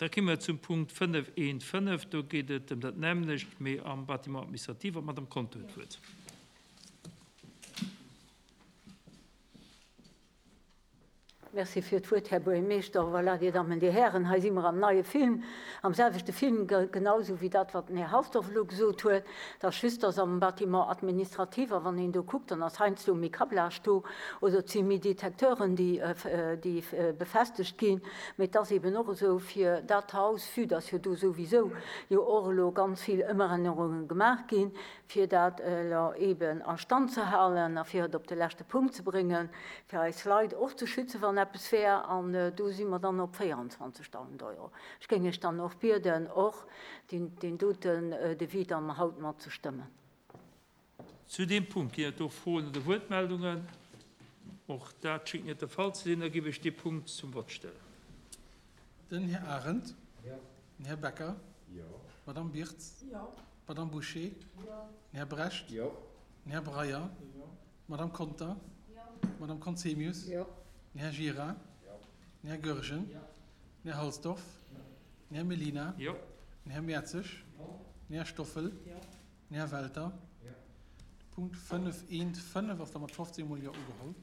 Da komme mer zum Punkt 5.1.5. Do geet et ëm dat nämmlecht, mee am Bâtiment administratif. An d'Madame Conter huet d'Wuert. Merci fir d'Wuert, Här Buergermeeschter. Voilà, Dir Dammen, Dir Hären, hei si mer am neie Film, am selwechte Film, genau esou wéi dat, wat den Här Halsdorf elo gesot huet. Et ass just, dass am Bâtiment administratif, a wann een do kuckt, dann ass heiansdo méi Câblage do oder et si méi Detecteuren, déi, déi befestegt ginn. Mee et ass eeben och esou fir dat Haus, vue dass jo do souwisou jo och elo ganz vill Ëmännerunge gemaach ginn, fir dat elo eeben a Stand ze halen a fir et op de leschte Punkt ze bréngen, fir eis Leit och ze schützen, wann eppes wär. An do si mer dann op 24.000 Euro. Ech géing Iech dann och bieden, och deen doten Devis dann haut mat ze stëmmen. Zu deem Punkt ginn et do Froen oder Wuertmeldungen? Och dat schéngt net de Fall ze sinn. Da géif ech dee Punkt zum Vott stellen. Den Här Arendt. Den Här Becker. D'Madame Birtz. D'Madame Bouché. Den Här Brecht. Den Här Breyer. D'Madame Conter. D'Madame Conzemius. Den Här Gira. Den Här Goergen. Den Här Halsdorf. Den Här Mellina. Den Här Mertzig. Den Här Stoffel. Den Här Welter. De Punkt 5.1.5 ass da mat 15 mol Jo ugeholl.